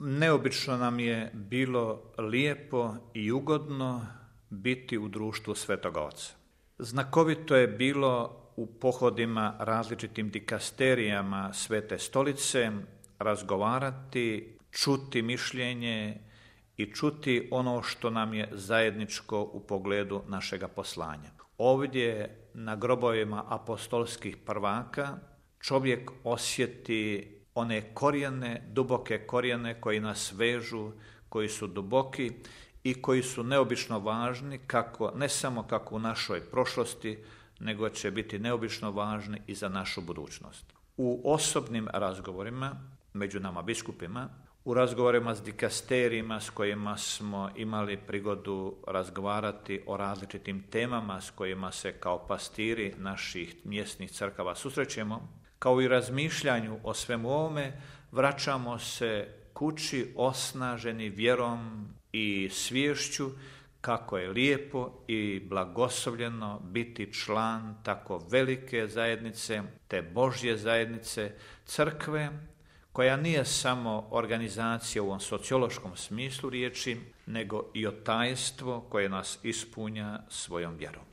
Neobično nam je bilo lijepo i ugodno biti u društvu Svetoga Oca. Znakovito je bilo u pohodima različitim dikasterijama Svete Stolice razgovarati, čuti mišljenje i čuti ono što nam je zajedničko u pogledu našega poslanja. Ovdje na grobovima apostolskih prvaka čovjek osjeti one korijene, duboke korijene koji nas vežu, koji su duboki i koji su neobično važni, ne samo kako u našoj prošlosti, nego će biti neobično važni i za našu budućnost. U osobnim razgovorima, među nama biskupima, u razgovorima s dikasterijima s kojima smo imali prigodu razgovarati o različitim temama s kojima se kao pastiri naših mjesnih crkava susrećemo, kao i razmišljanju o svemu ovome, vraćamo se kući osnaženi vjerom i sviješću kako je lijepo i blagoslovljeno biti član tako velike zajednice, te Božje zajednice, crkve, koja nije samo organizacija u ovom sociološkom smislu riječi, nego i otajstvo koje nas ispunja svojom vjerom.